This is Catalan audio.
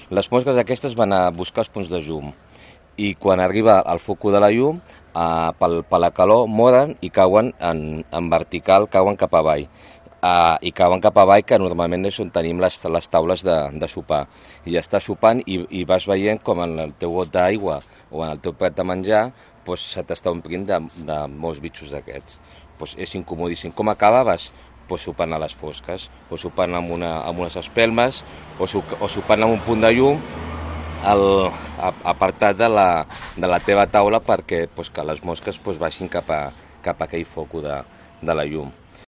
Les mosques aquestes van a buscar els punts de llum i quan arriba al foco de la llum, per la calor moren i cauen en vertical, cauen cap avall. I cauen cap avall, que normalment és on tenim les taules de sopar. I estàs sopant i vas veient com en el teu got d'aigua o en el teu plat de menjar se t'està omplint de molts bitxos d'aquests. És incomodíssim. Com acabaves? Sopant a les fosques, o sopant amb unes espelmes, o sopant amb un punt de llum apartat de la teva taula perquè que les mosques baixin cap a aquell foco de la llum.